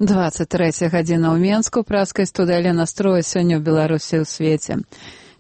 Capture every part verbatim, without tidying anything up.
двадцать трэцяя гадзіна ў Менску. Праскай студыя настроя сёння ў Беларусі ў свеце.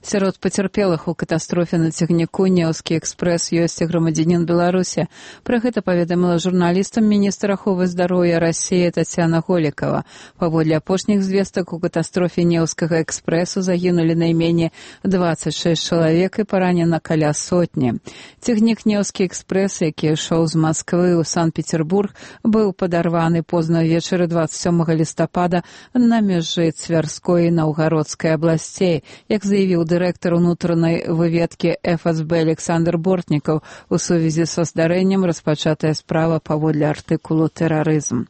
Сярод пацярпелых у катастрофе на цягніку «Неўскі экспрэс» ёсць і грамадзянін Беларусі. Пра гэта паведаміла журналістам міністр аховы здароўя Расіі Тацяна Голікава. Паводле апошніх звестак, у катастрофе «Неўскага экспрэсу» загінулі найменей дваццаць шэсць чалавек і паранена каля сотні. Цягнік «Неўскі экспрэс», які ішоў з Масквы ў Санкт-Петербург, быў падарваны позна ўвечары дваццаць сёмага лістапада на мяжы Цвярской і Наўгародскай абласцей, як заявіў дырэктар унутранай выведкі эф эс бэ Александр Бортнікаў. У сувязі са здарэннем распачатая справа паводле артыкулу «Тэрарызм».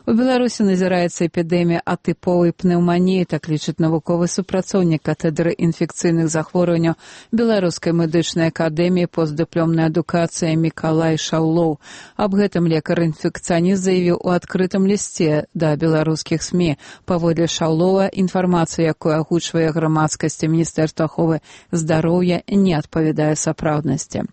У Беларусі назіраецца эпідэмія атыповай пнеўманіі, так лічыць навуковы супрацоўнік кафедры інфекцыйных захворванняў Беларускай медычнай акадэміі постдыплёмнай адукацыі Мікалай Шаўлоў. Аб гэтым лекар-інфекцыяніст заявіў у адкрытым лісце да беларускіх СМІ. Паводле Шаўлова, інфармацыя, якую агучвае грамадскасці Міністэрства аховы здароўя, не адпавядае сапраўднасці.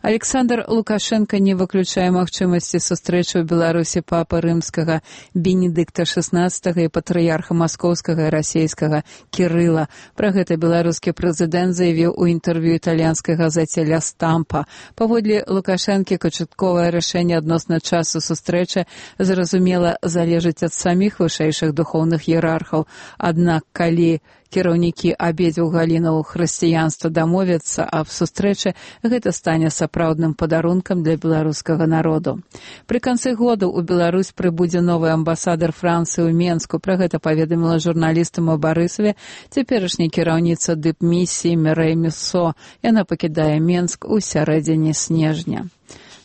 Александр Лукашенко не выключае магчымасці сустрэчы ў Беларусі папы рымскага Бенедыкта шаснаццатага і патрыярха маскоўскага і расейскага Кірыла. Пра гэта беларускі прэзідэнт заявіў у інтэрв'ю італьянскай газеце «Ля Стампа». Паводле Лукашэнкі, канчатковае рашэнне адносна часу сустрэчы, зразумела, залежыць ад саміх вышэйшых духоўных іерархаў. Аднак, калі кіраўнікі абедзвюх галінаў хрысціянства дамовяцца аб сустрэчы, гэта стане сапраўдным падарункам для беларускага народу. Пры канцы года ў Беларусь прыбудзе новы амбасадар Францыі ў Менску. Пра гэта паведаміла журналістам у Барысаве цяперашняя кіраўніца дыпмісіі Мірэй Мюссо. Яна пакідае Менск у сярэдзіне снежня.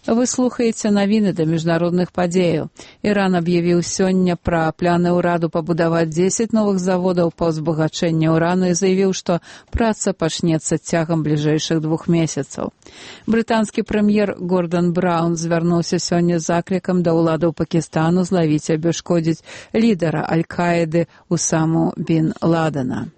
Вы слухаеце навіны да міжнародных падзеяў. Іран аб'явіў сёння пра планы ўраду пабудаваць дзесяць новых заводаў па ўзбагачэнні ўрану і заявіў, што праца пачнецца цягам бліжэйшых двух месяцаў. Брытанскі прэм'ер Гордан Браўн звярнуўся сёння з заклікам да ўладаў Пакістану злавіць і абясшкодзіць лідара Аль-Каіды Усаму бін Ладена.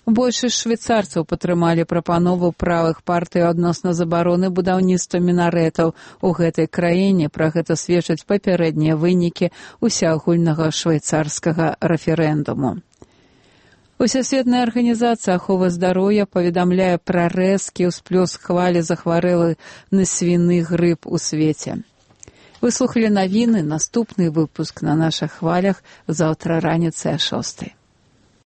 Большасць швейцарцаў падтрымалі прапанову правых партый адносна забароны будаўніцтва мінарэтаў у гэтай краіне. Пра гэта сведчаць папярэднія вынікі усеагульнага швейцарскага рэферэндуму. Усесветная арганізацыя аховы здароўя паведамляе пра рэзкі ўсплёск хвалі захварэлых на свіны грып у свеце. Вы слухалі навіны, наступны выпуск на нашых хвалях заўтра раніцай а шостай.